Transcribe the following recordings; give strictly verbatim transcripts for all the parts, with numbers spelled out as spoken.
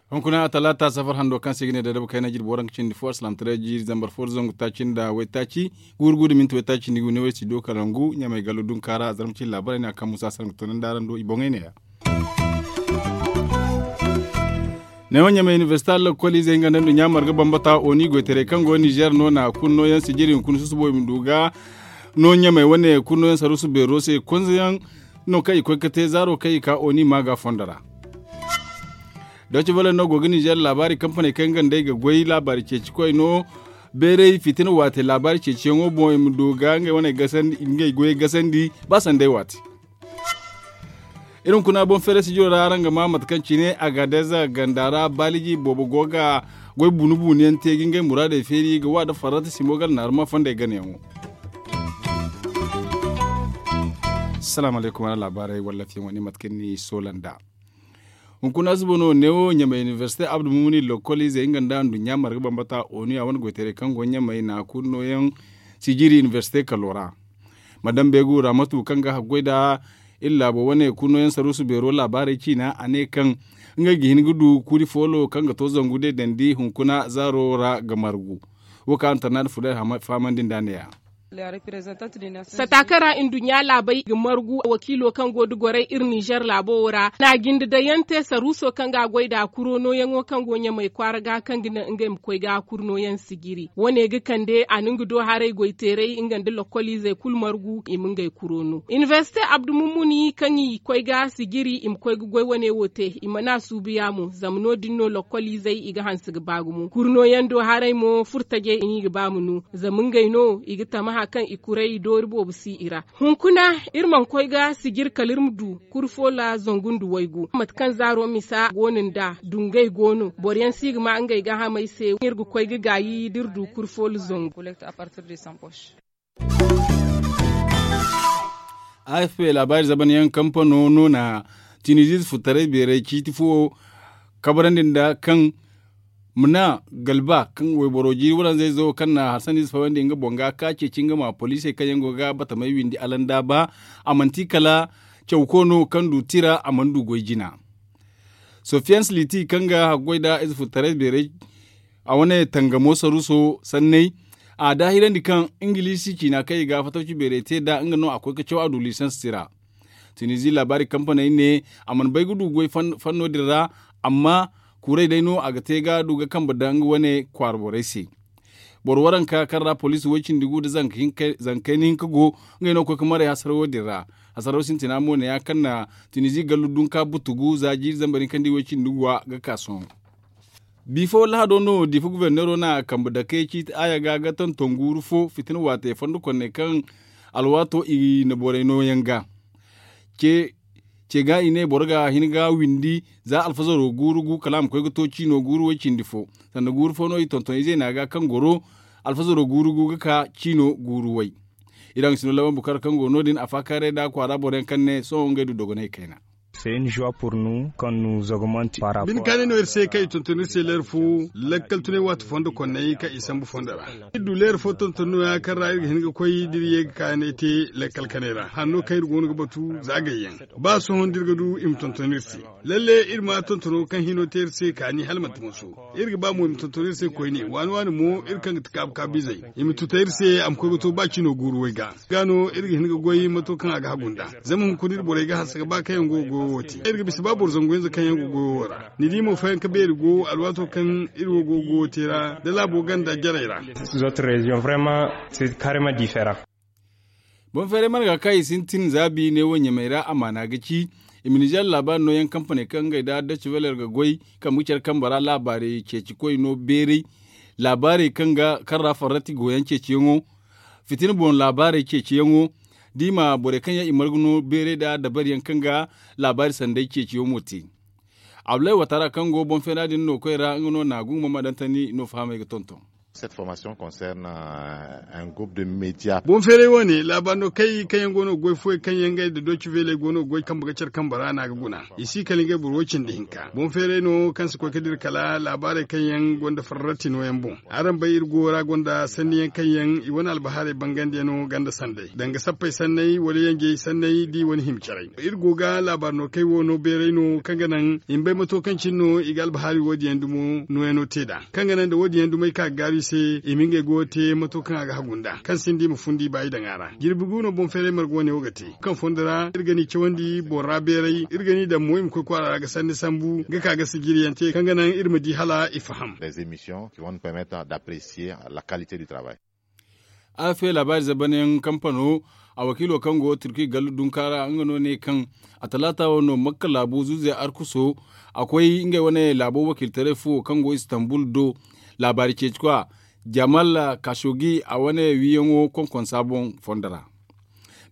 Hunkuna talaata safar hando kaŋ se i ga ne da dabu kayna jirbi waranka cindi fo alsilaamataray jiiri zambar fo da zangu taaci nda waytaaci, guuru gu da minti waytaaci nda i ga ne way si do kala ngu ɲamay gallo dunkaara zarma cindi laabaray no a kaŋ musa sara ga tunandi araŋ do i boŋey ne ya. Neewo ɲamay inibersita lakkoliizey nga nda nduɲɲa marga bambata oni goytaray kaŋ go nizer no na kulu nooyaŋ sijiri hunkuna susubo i ma du ga no ɲamay wane kulu nooyaŋ saruusu beero se konzayaŋ no kaŋ i koy ga te zaaro kaŋ i ka oni ma ga fondo ra. Doci vale no go ga nizer laabaari kampaney kaŋ nga nd'ey ga goy laabaari ceeci koy no beeray fitina waate laabaari ceeciyaŋo boŋ i ma du ga ngey wane gasandi ngey goyey gasandi ba sanday waate. Iri hunkuna boŋ feeray sijiro ra araŋ ga ma mate kaŋ cine agadez ganda ra baaliji boobo go ga goy bunu bunu yaŋ te ga ngey muraadey feeri ga wa da farrata simo gala naaruma fondey ganayaŋo. Salaamu alaykum wala laabaarey wala lafiyaŋo ni mate kaŋ ni soola nd'a. Hunkuna suba no neewo ɲamay inibersite abdu mumuni lokkoliizey nga nda nduɲɲa marga bambata onu ya wane goytaray kaŋ go ɲamay na kulu nooyaŋ sijiri inibersite kalo ra. Madam beegu ramatu kaŋ ga haggoy nda iri laabo wane kulu nooyaŋ saruusu beero laabaarey ciina a ne kaŋ ngey ga hin ga du kuuri foolo kaŋ ga to zangu deedandi hunkuna zaaro ra ga margu. Wo kaŋ antarnaada fudar fahamandi nd'a ne- ya. Sataakara nduɲɲa laabey ga margu wakiilo kaŋ go da goray iri nizer laabo wo ra na jinde daŋ yaŋ te saruuso kaŋ ga a goy nd'a kuro nooyaŋo kaŋ go ɲamay kwaara ga kaŋ ga naŋ ngey ma koy ga kuro nooyaŋ sijiri wane ga kande a na nga do haray goyteeray nga nda lokkoliizey kulu margu i ma ngey kuro no inibersite abdu mummuni kaŋ i koy ga sijiri i ma koy ga goy wane wo te i mana suubu ya mo zama no- din no lokkoliizey i ga hanse ga ba gumo kuro nooyaŋ do haray mo furo tajey i n'i ga ba ma no zama ngey no i ga tamaha kaŋ i kuray doori boobo si i ra. Hunkuna iri mana koy ga sijir kala iri ma du kuri foola zangu nda waygu mate kaŋ zaaro misa go no nd'a dungey go no boro yaŋ si ga ma ngey gaahamey se iri ga koy ga gaayi da iri du kuri foola zangu. A f p laabaari zaban yaŋ kampano no na tiniziize furtaray beeray ciiti fo kabarandi nda kaŋ mana galba kaŋ wayboro jiiri waranzayzo kaŋ na harsaniize fawandi nga boŋ ga ka ceeci nga ma poliisey kaŋ yaŋ go ga batamay windi alanda ba a manti kala cawko no kaŋ du tira a mana du goy jina. Sofiyans liti kaŋ ga haggoy nda ize furtaray beeray a wane tangamo saruuso sanney a daahirandi kaŋ ingiliisi ciina kaŋ i ga fatawci beeray te nd'a nga no a koy ga caw a du lisans tira. Tunizi laabaari kampaney ne a mana bay ga du goy fanno din ra amma kuuray day no a ga te ga du ga kambe nda nga wane kwaara borey se. Boro waranka kaŋ ra poliisi way-cindi gu nda zanka kayna hinka go ngey no ga koy ga maray hasarawo din ra. Hasarawo sintina mo ne ya kaŋ na tunizi gallu dunka butugu za jiiri zambar hinka nda i way-cindi guwa ga ka sohõ. Bi fo lahado no diifa guberneero na kambe dake ciiti aaya ga ga tonton guuru fo fitina waate fondo konney kaŋ alwaato i na borey nooyaŋ ga ce ga i ne boro ga hin ga windi za alfazaro guuru gu kala a ma koy ga to ciino guuru way-cindi fo sanda guuru fo no i tonton izey na ga kaŋ goro alfazaro guuru gu ga ka ciino guuru way. Iri a ga sino laban bukar kaŋ go no- din a faakaaray nda kwaara boro yaŋ kaŋ ne sohõ ngey du dogonay kayna. Bine kaanay no iri se kaŋ i tonton iri se leera fo lakkal tunay waati fondo konnay kaŋ i sambu fondo ra. Iri du leera fo tonton no- ya kaŋ ra iri ga hin ga koy da iri ye ga kaanay te lakkal kanay ra hanno kaŋ iri go no ga batu za gayyaŋ ba sohõ da iri ga du i ma tonton iri se. Lalle iri ma tontono kaŋ hino te iri se kaani hala manti manso. Iri ga ba mo i ma tonton iri se koyne waani waani mo iri kaŋ ga ti kaabu kaabu izey i ma tuta iri se a ma koy ga to ba cino guuru way ga ga no iri ga hin ga goy mato kaŋ a ga hagu nd'a. Zama hunkuna iri borey ga hanse ga ba kaŋ yaŋ go ga goyo wo te iri ga bisa ba boro zangu hinza kaŋ yaŋ go goyo wo ra. Ni di mo fayanka beeri go alwaato kaŋ iri wo go ga goyo te ra da laabo ganda jarey ra. Boŋ feeray mana ga kaŋ i sintin zaabi ne wo ɲamey ra amaana ga ci i ma nizer laabaari nooyaŋ kampaney kaŋ ngey nda dutch veler ga goy kambe ga care kambe ra laabaarey ceeci koy no beeray. Laabaarey kaŋ ra farrati gooyaŋ ceeciyaŋo fitina boŋ laabaarey ceeciyaŋo da i ma borey kaŋ yaŋ i marga no beeray nda dabariyaŋ kaŋ ga laabaari sanday ceeciyaŋ mo te. Abulay watara kaŋ go boŋ feera din no koy ra nga no na gunguma ma daŋ tani no fahamey ga tonton. Cette formation concerne un groupe de média. Boŋ feeray wane laabaari no kay kaŋ yaŋ go no ga goy fooyaŋ kaŋ yaŋ ngey nda doci veeley go no ga goy kambe ga care kambe ra no a ga guna. I si kala ngey boro way cindi hinka boŋ feeray no kaŋ si koy ga dira kala laabaarey kaŋ yaŋ gonda farrati nooyaŋ boŋ. Araŋ bay iri go ra gonda sanniyaŋ kaŋ yaŋ i wane albahaarey bangandiyaŋo ganda sanday danga sappey sanney wala yanjey sanney da i wane hima caray. Iri go ga laabaari no kay wo no beeray no kaŋ ga naŋ i ma bay mato kaŋ cine no i ga albahaari wo- din yaŋ dumo nooyaŋo te nd'a kaŋ ga naŋ nda wo- din yaŋ dumey ka ga gaaru i se i ma ngey goyo te mato kaŋ a ga hagu nd'a kaŋ sinda i ma fundi ba i daŋ a ra jirbi gu no boŋ feeray marga wane wo ga te kaŋ fondo ra iri ga ni cawandi boro ra beeray iri ga ni daŋ mo i ma koy kwaara ra ga sanni sambu ga ka ga sijiri yaŋ te kaŋ ga naŋ iri ma di hala i faham. Des émissions qui vont permettre d'apprécier la qualité du travail. Arafe laabaari zabanayaŋ kampano a wakiilo kaŋ go turki gallu dunka ra nga no ne kaŋ a talaata wo no makka laabu zuuzey arkuso a koy ngey wane laabo wakiiltaray fo kaŋ go istanbul do laabaari ceeci kwa jamal kashogi a wane wiiyaŋo konkonsa boŋ fondo ra.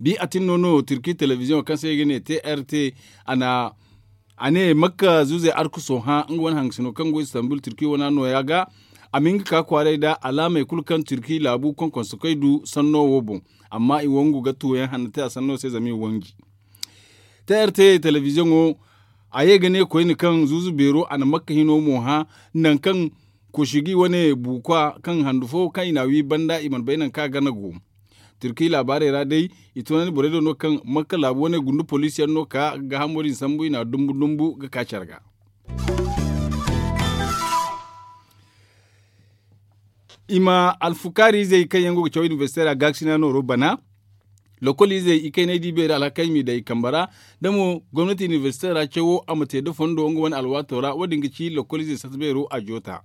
Bi a tin no no turki telebiziyoŋo kaŋ se i ga ne trt a na a ne makka zuuzey arkuso hã nga wane hangasino kaŋ go istanbul turki wana nooya ga a ma hin ga ka kwaaray nda alaamey kulu kaŋ turki laabu konkonso kay du sanno wo boŋ. Amma i wangu ga tuuyaŋ hanno te a sanno se zama i wanji. Trt telebiziyoŋo a ye ga ne koyne kaŋ zuuzu beero a na makka hino mo hã nangu kaŋ koshigi wane buukwa kaŋ handu fo kaŋ i n'a wi banda i mana bay nangu kaŋ a gana go. Turki laabaarey ra day i tunandi borey do no kaŋ makka laabu wane gundu poliisiyaŋ no ka gaahamo din sambu i n'a dumbu dumbu ga ka care ga. I ma alfukaari izey kaŋ yaŋ go ga caw inibersite ra gaakasina nooro bana lokol izey ikaynay di beeri alhakey m'i daŋ i kambe ra. Da mo gomnati inibersite ra cawo a ma te da fondo nga wane alwaato ra wo- din ga ci lokol izey sata beero a joota.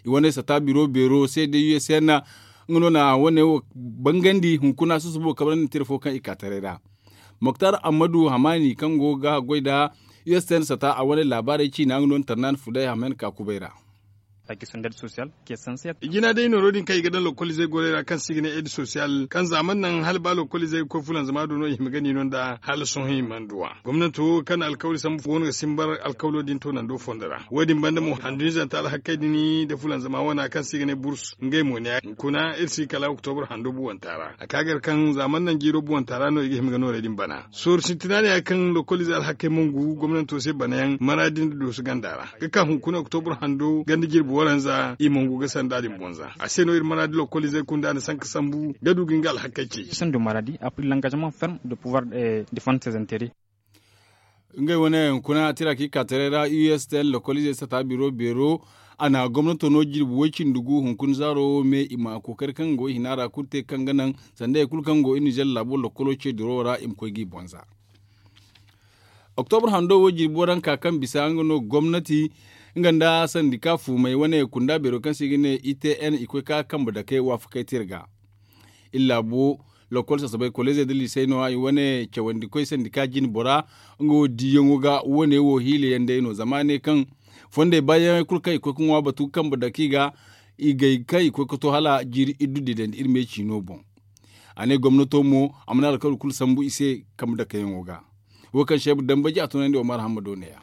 I wane sata biro beero se day usn nga no na wane wo bangandi hunkuna susubo kabrandi tira fo kaŋ i ka taray ra. Moktar ammadu hamani kaŋ go ga goy nda usn sata a wane laabaarey ciina nga no na tarnaani fuday hamen ka kubay ra. Jina day nooro din kaŋ i ga daŋ lokol izey gorey ra kaŋ se i ga ne ed sosiyal kaŋ za mana naŋ hala ba lokol izey ga koy fulanzama do no i hima ga ni no nda hala sohõ i mana du a. Gomnanto kaŋ na alkawli sambu go no ga simbar alkawlo din toonando fondo ra wo- din banda mo handu hinzanta alhakkey din da fulanzama wana kaŋ se i ga ne burs ngey mo ne hunkuna iri si kala oktobur hando buwanta ra a ka gar kaŋ za mana naŋ jiiro buwanta ra no i ga hima ga noorey din bana. Sooru sintina ne ya kaŋ lokol ize alhakkey mongu gomnanto se banayaŋ maraadi nda doosu ganda ra ga ka hunkuna oktobur hando ganda jirbi waranza i mongu ga sanda din bonza a se no iri maraadi lokol izey kunda na sanka sambu ga du ga nga alhakkey ce. Ngey wane hunkuna tira kaŋ i ka taray ra u s t n lokol izey sata biro beero a na gomnato no jirbi way cindi gu hunkuna zaaro wo me i ma kookari kaŋ go i hina ra kulu te kaŋ ga naŋ sanda hari kulu kaŋ go i nizer laabo lokolo ce diro ra i ma koy g'i bonza. Oktobur hando wo jirbi waranka kaŋ bisa nga no gomnati nga nda sandika fuumey wane kunda beero kaŋ se i ga ne i t n i koy ka kambe dakey waafakey te iri ga. Iri laabo lokol sasabay kolleezey nda liisey no- ya i wane cawandikoy sandika jine bora nga wo diiyaŋo ga wane wo hiila yaŋ day no zama a ne kaŋ fondey baayaŋey kulu kaŋ i koy ga ŋwa batu ga kambe dake i ga i gay kaŋ i koy ga to hala jiiri iddu didandi iri me ciino boŋ. A ne gomnato mo a mana alkawli kulu sambu i se kambe dakeyaŋo ga. Wo kaŋ seebu dambaji a tunandi omar hammado ne- ya.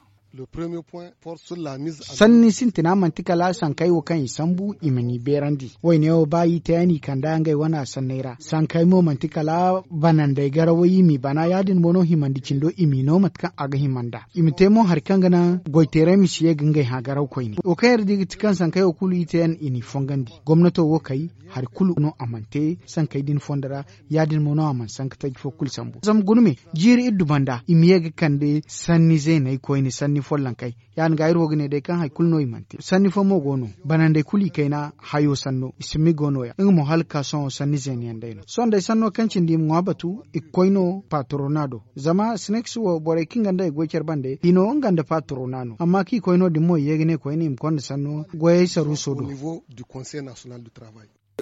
Sanni sintina manti kala sankey wo kaŋ i sambu i ma ni beerandi wayne wo ba i te yaŋ i kand'a ngey wane sanney ra sankey mo manti kala banandey garawey i m'i bana ya- din mo no himandi cindo i m'i no mate kaŋ a ga hima nd'a i ma te mo hari kaŋ ga naŋ goyteerey ma si ye ga ngey hã garaw koyne wo kaŋ iri di ga ti kaŋ sankey wo kulu i te yaŋ i n'i fongandi gomnato wo kay hari kulu no a mana te sankey din fondo ra. Ya- din mo no a mana sanka taji fo kulu sambu zama guna me jiiri iddu banda i ma ye ga kande sanni zeeney koyne sanni follonkey ya- din ga iri wo ga ne day kaŋ hari kulu no i mana te sanni fo mo go no banandey kulu i kayna hayo sanno i si ma i go no- ya nga mo hala ga ka sohõ sanni zeene yaŋ day no sohõ day sanno kaŋ cindi i ma ŋwa batu i ga koy no patrona do zama snakes wo borey kaŋ ga nda i goy care bande i no nga nda patrona no amma kaŋ i koy no- din mo i ye ga ne koyne i ma konda sanno goyey saruuso do.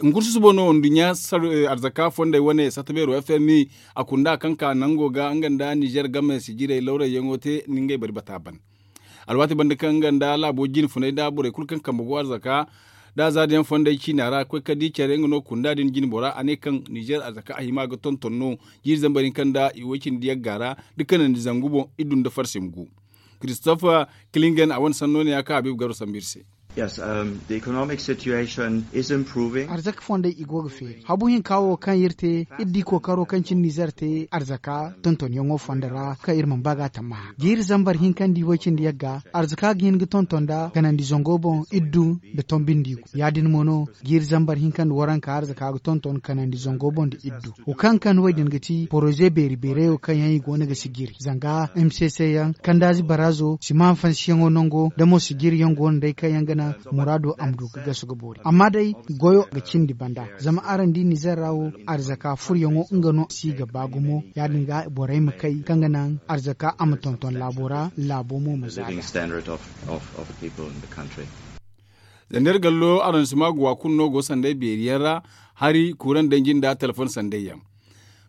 Hunkuna susubo no nduɲɲa arzaka fondey wane sata beero f m i a kunda kaŋ ka nango ga nga nda nizer game sijirey lawrayyaŋo te nda ngey bari bata ban. Alwaati banda kaŋ nga nda laabo jine funay nda borey kulu kaŋ kambe go arzaka nda zaadiyaŋ fondey ciina ra koy ka di care nga no kunda din jine bora a ne kaŋ nizer arzaka a hima ga tonton no jiiri zambar hinka nda i way cindi yagga ra da kanandi zangu boŋ i dun nda farsim gu. Christophe klingen a wane sanno ne ya kaŋ habiibu garo sambu iri se. Arzaka fondey i go ga feeri habu hinka wo kaŋ iri te iri di kookaro kaŋ cine nizer te arzaka tontonyaŋo fondo ra kaŋ iri mana ba ga a tammaha ga iri zambar hinka nda i way cindi yagga arzaka ga hin ga tonton nda kanandi zango boŋ iri du nda tombindi gu ya- din mo no ga iri zambar hinka nda waranka arzaka ga tonton kanandi zango boŋ nda iri du. Wo kaŋ ga kande wo- din ga ti poroze beeri beerayo kaŋ yaŋ i go no ga si jiri zanga m c c yaŋ kandaazi baraazo sima hanfansiyaŋo nango nda mo si jiri yaŋ go no day kaŋ yaŋ ga naŋ muraado a ma du ga gasu ga boori amma day goyo ga cindi banda zama araŋ di nizer ra wo arzaka furyaŋo nga no si ga ba gumo ya- din ga borey ma kay kaŋ ga naŋ arzaka a ma tonton laabo ra laabo mo ma zaada. Zandar gallo araŋ si ma guwa kulu no go sanday beeri yaŋ ra hari kuuraŋ danji nda telefon sanday yaŋ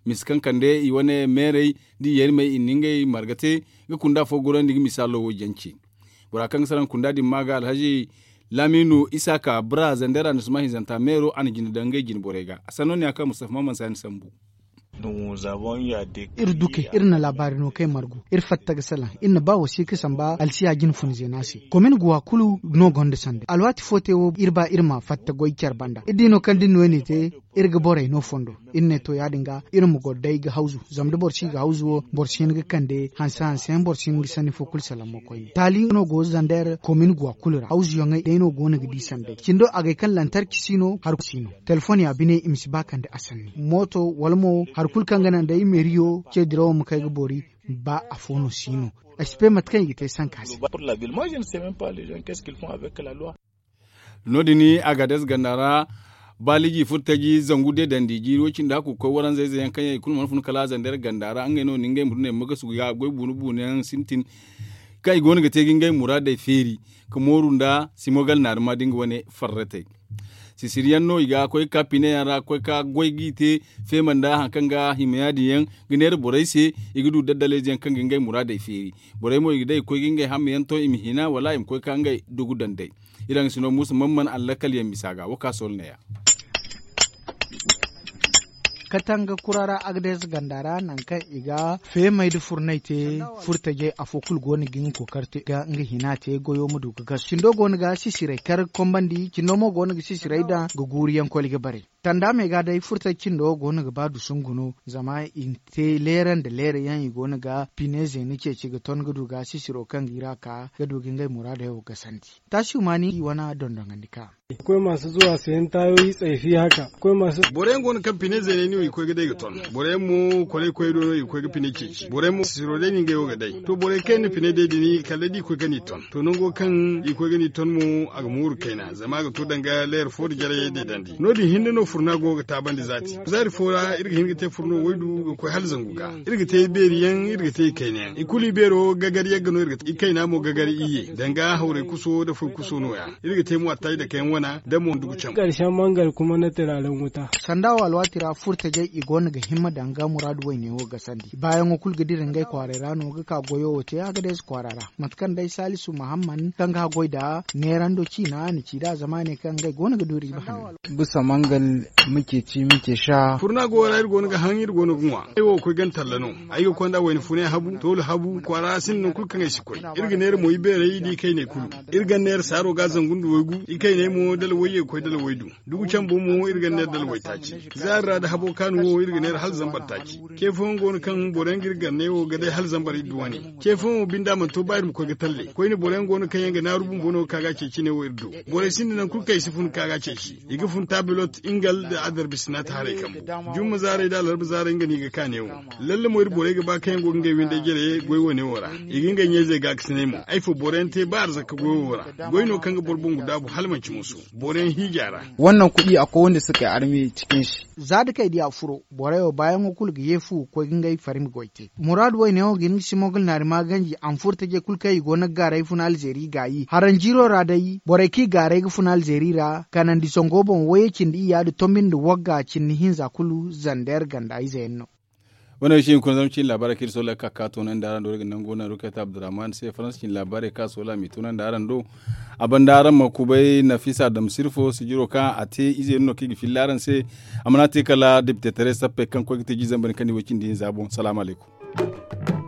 misi kaŋ kande i wane meerey da i yarmey i na ngey marga te ga kunda fo gorandi ga misaalo wo jance. Bora kaŋ ga saraŋ kunda din ma ga alhaji laminu isaka bra zandar a na suma hinzanta meero a na jina daŋ ngey jina borey ga a sanno ne a kaŋ mustafa maman sani sambu. Iri duke iri na laabaari no kaŋ ay margu iri fatta ga salaŋ iri na ba wasiika samba alsiya jina fun zeena se komin guwa kulu no gonda sanda alwaati fo te wo iri ba iri ma fatta goy care banda iri di no kaŋ da iri no iri ne te iri ga borey no fondo iri ne to ya- din ga iri ma goro day ga hawzu zama da boro si ga hawzu wo boro si hin ga kande hanse hanse yaŋ boro si hin ga sanni fo kulu salaŋ mo koyne taali no go zander komin guwa kulu ra hawzu yaŋey day no go no ga di sanday cindo agay kaŋ lantarki si no hari kulu si no. Telefon ya bine i ma si ba kande a sanni mooto wala mo hari kulu kaŋ ga naŋ day meeriyo ce dirawo ma kay ga boori ba afo no si no. Ay si bay mate kaŋ i ga te sanka se. No- din agades ganda ra baaliji furtaji zangu de dandi jiiri wo- cindi hakku ga koy waranza ize yaŋ kaŋ yaŋ i kulu mana fun kala zandeer ganda ra ngey no na ngey ma du ne ma ga sugu ga goy buunu buunu yaŋ sintin kaŋ i go no ga te ga ngey muraadey feeri ka mooru nda simogal naarima da nga wane farratey. Sisiri yaŋ no i ga koy ga ka pine yaŋ ra ga koy ga ka goy g'i te feema nda hari kaŋ ga hima ya- din yaŋ ga neera borey se i ga du daddaley ze yaŋ kaŋ ga ngey muraadey feeri. Borey mo i ga day ga koy ga ngey hamma yaŋ to i ma hina wala i ma koy ga ka ngey dugu daŋ day. Iri haŋ ga si no muusa man mana allakal yaŋ bisa ga wo ka soolo ne- ya. Katanga kura ra agades ganda ra nangu kaŋ i ga feemey nda furnay te furtajey afo kulu go no ga nga kookari te ga nga hina te goyo ma du ga gasu cindo go no ga sisirey kar ga kombandi cindo mo go no ga sisirey daŋ ga guuru yaŋ koli ga bare. Tanda me ga day furtaji cindo go no ga ba dusungu no zama i na te leera nda leera yaŋ i go no ga pine zeena ceeci ga ton ga du ga sisiro kaŋ ga i ra ka ga du ga ngey muraadey wo gasandi. Taasi humaani i wane dondoŋandi ka. Akwai masu zuwa sayan tayoyi tsaifi haka akwai masu. Boro yaŋ go no kaŋ pine zeeney no i ga koy ga day ga ton. Boro yaŋ mo kolay koy do no i ga koy ga pine ceeci boro yaŋ mo sisiro day no ngey wo ga day to borey kaŋ yaŋ na pine day din kala da i koy ga ni ton to nango kaŋ i koy ga ni ton mo a ga mooru kayna zama a ga to danga leer fo nda jarayey deedandi no- din hinne no furna go ga taabandi zaati zaari fo ra iri ga hin ga te furno waydu ga koy hala zangu ga. Iri ga te beeri yaŋ iri ga te ikayna yaŋ i kulu i beero gagar yagga no iri ga te ikayna mo gagar iyye danga hawray kuso nda foy kuso no- ya. Iri ga te mo attaji dake yaŋ wana nda mo ndugu cam. Karshen mangal kuma na turaren wuta. Sanda wo alwaati ra furtajey i go no ga himma danga muraadu wayne wo gasandi baayaŋo kulu ga dira ngey kwaaray ra no ga ka goyo wo te a ga deeza kwaara ra mate kaŋ day salisu mahamman kaŋ ga haggoy nda neerando ciina na ci nd'a zama a ne kaŋ ngey go no ga du riiba hanno. Bisa mangal muke ci muke sha. Furna go ra iri go no ga haŋ iri go no ga ŋwa ay wo ga koy gana talla no. Ay ga konda wayna funay habu toolu habu kwaara sinda nangu kulu kaŋ ay si koy. Iri ga neera mo ibeerey nda ikayney kulu. Iri gana neera saaro ga zangu nda waygu ikayney mo dala wayye ga koy dala waydu. Dugu cambo mo iri gana neera dala waytaaci. Zaari ra nda habo kaanu wo iri ga neera hala zambar taaci. Ce fooyaŋ go no kaŋ boro yaŋ ga iri ganney wo ga day hala zambar iddu wane. Ce fooyaŋ wo binde a mana to ba iri ma koy ga talle koyne boro yaŋ go no kaŋ yaŋ ga naaru bumbo no ga ka ga a ce cine wo iri do. Borey sinda nangu kulu kaŋ i si fun ga ka ga a ceeci. I ga fun taabilot ingal nda adarbi sinaata haray kambu. Jumma zaaray nda alarba zaaray nga no i ga ka neewo. Lalle mo iri borey ga ba kaŋ yaŋ go ga ngey windey jare goy wane wo ra. I ga ngey ɲayzey gaakasinay mo ay fo boro yaŋ te ba arzaka goy wo ra. Goy no kaŋ ga boro boŋ ga daabu hala manci musu. Boro yaŋ hiija ra. Wannan kuɗi akwai wanda suka yi arme cikin shi. Za da kay diya furo borey wo baayaŋo kulu ga ye fu ga koy ga ngey farmi goy te. Muraadu wayne wo ga hin ga simogal naari ma ganji a ma furo taje kulu kaŋ i go no ga gaaray funa alzeeri gaayi haranjiiro ra day borey kaŋ i gaaray ga funa alzeeri ra kanandi zango boŋ wayey cindi iyya nda tombi nda wagga cindi hinza kulu zander ganda ize yaŋ no. Wane wo si hin kuna zama cin laabaarey kaŋ iri sohõ lakkal ka ka toonandi araŋ do iri ga nangu nangu kayta abdurrahman se faransa cin laabaarey kaŋ a sohõ a m'i toonandi araŋ do. A banda araŋ ma kubay nafisa damsirfo sijiro kaŋ a te ize yaŋ no kaŋ i ga filla araŋ se. A mana te kala depite taray sappey kaŋ koy ga te jiizambar kaŋ ni way cindi hinza boŋ salaamu alaykum.